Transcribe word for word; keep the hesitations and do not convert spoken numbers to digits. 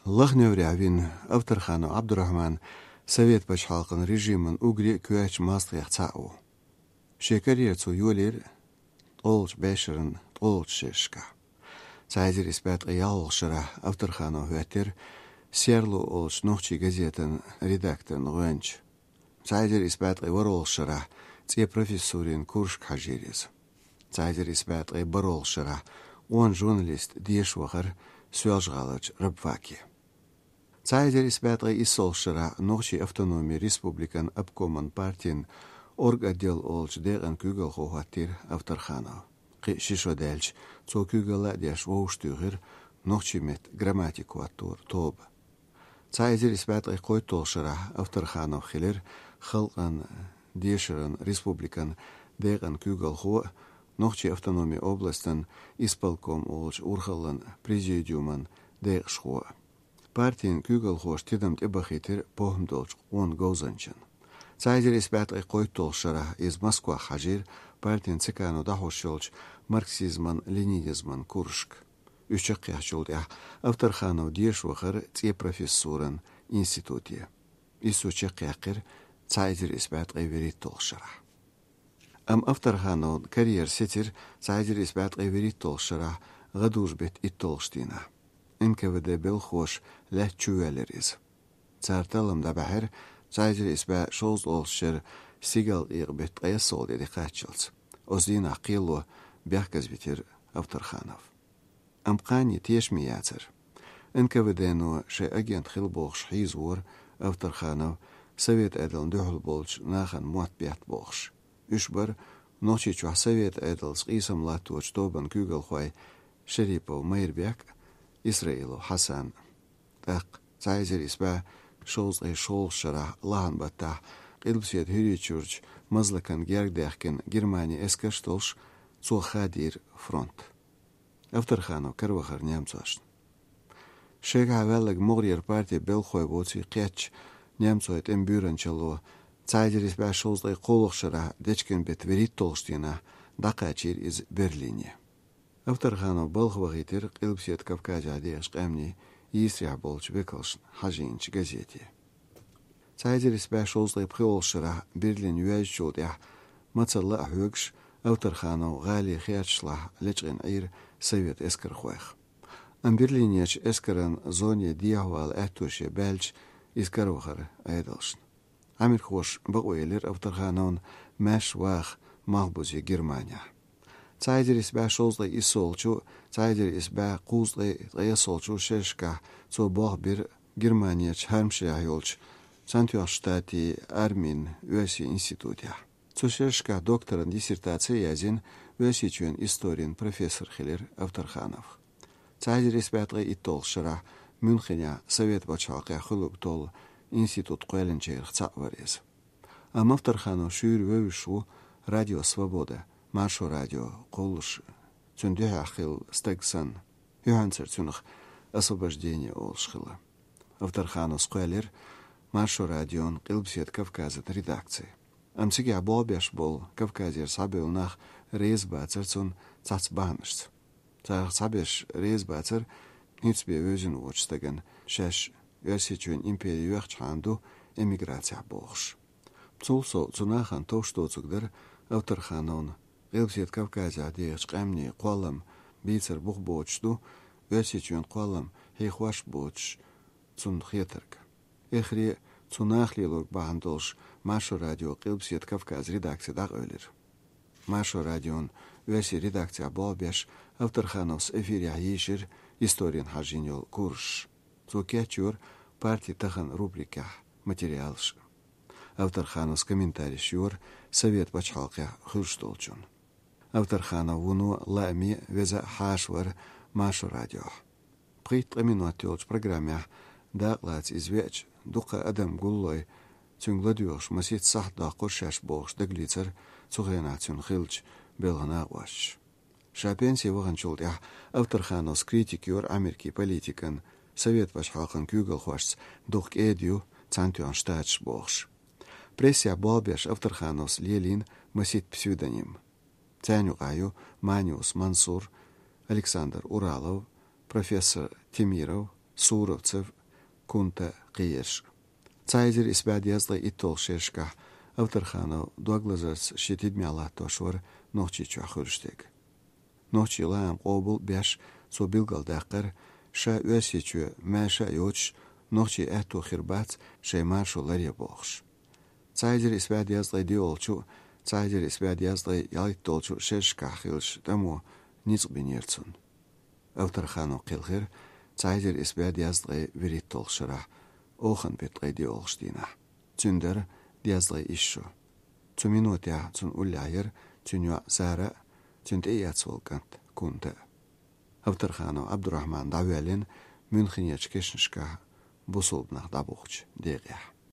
Лаха-Неврехь вина Авторханов Ӏабдурахьман Совет пачхьалкхан режиман уггаре а коьртачу мостагӀех цхьаъ ву. Шен карьера цо йолийра ткъолгӀачу бӀешеран ткъолгӀачу шерашкахь. Цхьа эзар исс бӀе ткъе ялхолгӀачу шарахь Авторханов хӀоьттира «Серло» олучу нохчийн газетан редакторна гӀоьнча. Цхьа эзар исс бӀе ткъе ворхӀалгӀачу шарахь цӀен профессурин курсашка хьажийра иза. Цхьа эзар исс бӀе ткъе бархӀалгӀачу шарахь къона журналист деша вахара Соьлжа-ГӀаларчу рабфаке. Цхьа эзар исс бӀе ткъе иссолгӀачу шарахь Нохчийн автономин республикан обкоман партин орготдел олучу декъан куьйгалхо хӀоттийра Авторханов. Кхин а ши шо даьлча, цо куьйгалла а деш вовшахтуьйхира нохчийн меттан грамматика хӀотторан тоба. Цхьа эзар исс бӀе ткъе кхойтталгӀачу шарахь Авторханов хилира Халкъан дешаран республикан декъан куьйгалхо а, Нохчийн автономин областан исполком олучу урхаллан президиуман декъашхо а. Партин куьйгалхоша тидам тӀебахийтира похӀма долчу къона говзанчана. Цхьа эзар исс бӀе ткъе кхойтталгӀачу шарахь иза Москвахь хьажийра партин ЦК-но дӀахьош йолчу марксизман-ленинизман курсашка. Уьш чекхъяьхначул тӀаьхьа Авторханов деша вахара цӀен профессуран институте. Иза цо чекхъяьккхира цхьа эзар исс бӀе ткъе вуьрхӀитталгӀачу шарахь. Амма Авторхановн карьера сецира цхьа эзар исс бӀе ткъе вуьрхӀитталгӀачу шарахь гӀадужу-беттан итталгӀачу дийнахь. Н К В Д белхахоша лаьтта чувоьллира иза. Цара таллам дӀабаьхьира цхьа эзар исс бӀе шовзткъалгӀачу шеран стигалкъекъа-беттан ткъайоьсналгӀа де дӀакхаччалц. Оцу дийнахь кхело бехказавитира Авторханов. Амма кхане тешаме яцара. Н К В Д-но шайн агент хила бохуш хьийзавора Авторханов, Совет Ӏедална дуьхьал болчу нахана мотт бетта бохуш. Уьш бара Нохчийчохь Совет Ӏедалца къийсам латточу тобан куьйгалхой Шерипов Майрбек а, Исраилов Хьасан а. ТӀаккха цхьа эзар исс бӀе шовзткъе шолгӀачу шарахь лахьан баттахь Къилбаседа ХӀирийчуьрчу Мазлакан герга даьхкина Германин эскарш а долуш, цо хадийра фронт. Авторханов каравахара немцошна. Шегахь ваьлларг могӀарера партин белхахой воций кхеттачу немцойн тӀеман буьйранчалло цхьа эзар исс бӀе шовзткъе кхоалгӀачу шарахь дечкен-беттан вуьрхӀитталгӀачу дийнахь дӀакхачийра иза Берлине. Авторханов балха вахийтира Къилбаседа Кавказехь дехачу къаьмнийн йийсарехь болчу векалшна хьажийначу газете. Цхьа эзар исс бӀе шовзткъе пхоьалгӀачу шарахь Берлин йоьзначул тӀаьхьа мацалла а хьоьгуш, Авторханов гӀалин херчашлахь лечкъина Ӏийра совет эскархойх. Амма Берлинерчу эскаран зоне дехьавала аьтто шен баьлча, иза каравахара Ӏедалшна. Ӏамерхоша бакъо елира Авторхановна маьрша ваха малхбузе Германехь. Цхьа эзар исс бӀе шовзткъе иссолгӀачу, цхьа эзар исс бӀе кхузткъе ткъайоьсналгӀачу шерашкахь цо болх бира Германерчу Хьармшехь йолчу Цхьаьнатоьхначу Штатийн армин оьрсийн институтехь. Цу шерашкахь докторан диссертаци а яздина оьрсийчоьнан историн профессор хилира Авторханов. Цхьа эзар исс бӀе ткъе итталгӀачу шарахь Мюнхенехь Совет пачхьалкхехь хуьлург толлу институт кхоьллинчарах цхьаъ вара иза. Амма Авторханов шуьйра вевзаш ву Радио Свобода, Маршо радио кхуллуш, цуьнан дуьхьехь хилла стаг санна, юьхьанцара цунах «Освобождение» олуш хилла. Авторхановс кхоьллира Маршо радион Къилбаседа Кавказан редакци. Амма цигахь болх беш болу Кавказера схьабевлла нах реза бацара цунна цхьацца бахьанашца. Царах цхьаберш реза бацара хӀинца бен вевзина воцучу стагана, шаьш Оьрсийчоьнан импери йоьхчахьана ду эмиграцехь бохуш. Цул сов цу нахана товш доцург дара Авторхановна, Къилбаседа Кавказехь дехачу къаьмнийн кхоллам бийцар бух боцуш ду, Оьрсийчоьнан кхоллам хьехош боцуш цунна хетарг. Эххар а цу наха лелорг бахьана долуш Маршо радион Къилбаседа Кавказан редакци дӀакъевлира. Маршо радион оьрсийн редакцехь болх беш, Авторхановс эфирехь йийшира историна хьажийна йолу курсаш. Цо кечйора «Парти тахана» рубрикехь материалаш. Авторхановс комментареш йора Совет пачхьалкхехь хуьлуш долчунна. Авторханов вуно лааме а, веза а хьаша вара Маршо радиохь. Пхийтта-ткъа минот йолчу программехь дакъалаца иза веача, дуккха а адам гуллой, цуьнга ладоьгӀуш масийтта сахьт доккхура шаьш бохуш дагалецира цу хенахь цуьнан хиллачу белхан накъосташа. Ша пенсе ваханчул тӀаьхьа Авторхановс критика йора Ӏамеркин политикан, Совет пачхьалкхан куьйгалхошца дукха кӀеда ю Цхьаьнатоьхна Штаташ бохуш. Прессехь болх беш Авторхановс лелийна масийтта псевдоним. Царна юкъахь ю Маниус Мансур, Александр Уралов, профессор Темиров, Суровцев, Кунта кхиерш. Цхьа эзар исс бӀаь дезткъе иттолгӀачу шерашкахь Авторханов дог лазарца шен тидамехь латтош вара Нохчийчохь хуьлуш дерг. Нохчийн лаам къобал а беш, цо билгалдаккхара, ша Оьрсийчоь маьрша а йоцуш, нохчийн аьтто хир бац шайн маршо ларъян бохуш. Цхьа эзар исс бӀаь дезткъе диъолгӀачу, цхьа эзар исс бӀаь дезткъе ялхиттолгӀачу шерашкахь хиллачу тӀамо ницкъ бинера цунна. Авторханов кхелхира цхьа эзар исс бӀаь дезткъе вуьрхӀиттолгӀачу шарахь, оханан беттан ткъе диъолгӀачу дийнахь. Цуьнан дара дезткъе исс шо. Цу минотехь цунна уллехь яра цуьнан йоӀ Сара а, цуьнан тӀеэцна волу кӀант Кунта а. Авторханов Ӏабдурахьман дӀавоьллина Мюнхенерчу кешнашкахь бусулба нах дӀабухучу декъехь.